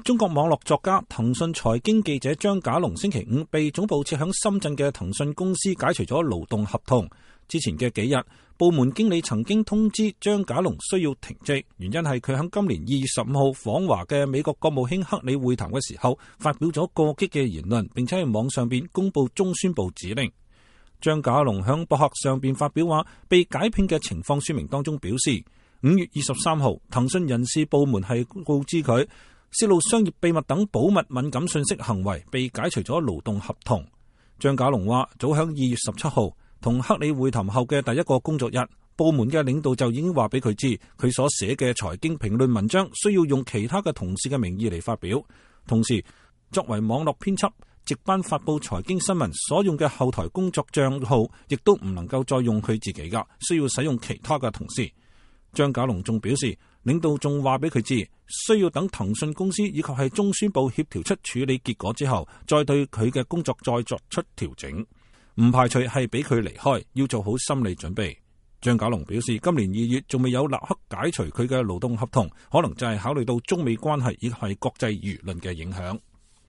中國網絡作家、騰訊財經記者張家龍星期五被總部設響深圳嘅騰訊公司解除咗勞動合同。之前嘅幾日，部門經理曾經通知張家龍需要停職，原因係佢喺今年2月15號訪華嘅美國國務卿克里會談嘅時候，發表咗過激嘅言論，並且喺網上邊公布中宣部指令。張家龍響博客上邊發表話，被解聘嘅情況說明當中表示，5月23號，騰訊人事部門係告知佢泄露商業秘密等保密敏感信息行為，被解除咗勞動合同。張家龍話，早響2月17號同克里會談後嘅第一個工作日，部門嘅領導就已經話俾佢知，佢所寫嘅財經評論文章需要用其他嘅同事嘅名義嚟發表。同時，作為網絡編輯，值班發佈財經新聞所用嘅後台工作賬號，亦都唔能夠再用佢自己噶，需要使用其他嘅同事。張家龍仲表示，領導仲話俾佢知，需要等騰訊公司以及係中宣部協調出處理結果之後，再對佢嘅工作再作出調整，唔排除係俾佢離開，要做好心理準備。張家龍表示，今年2月仲未有立刻解除佢嘅勞動合同，可能就係考慮到中美關係以及係國際輿論嘅影響。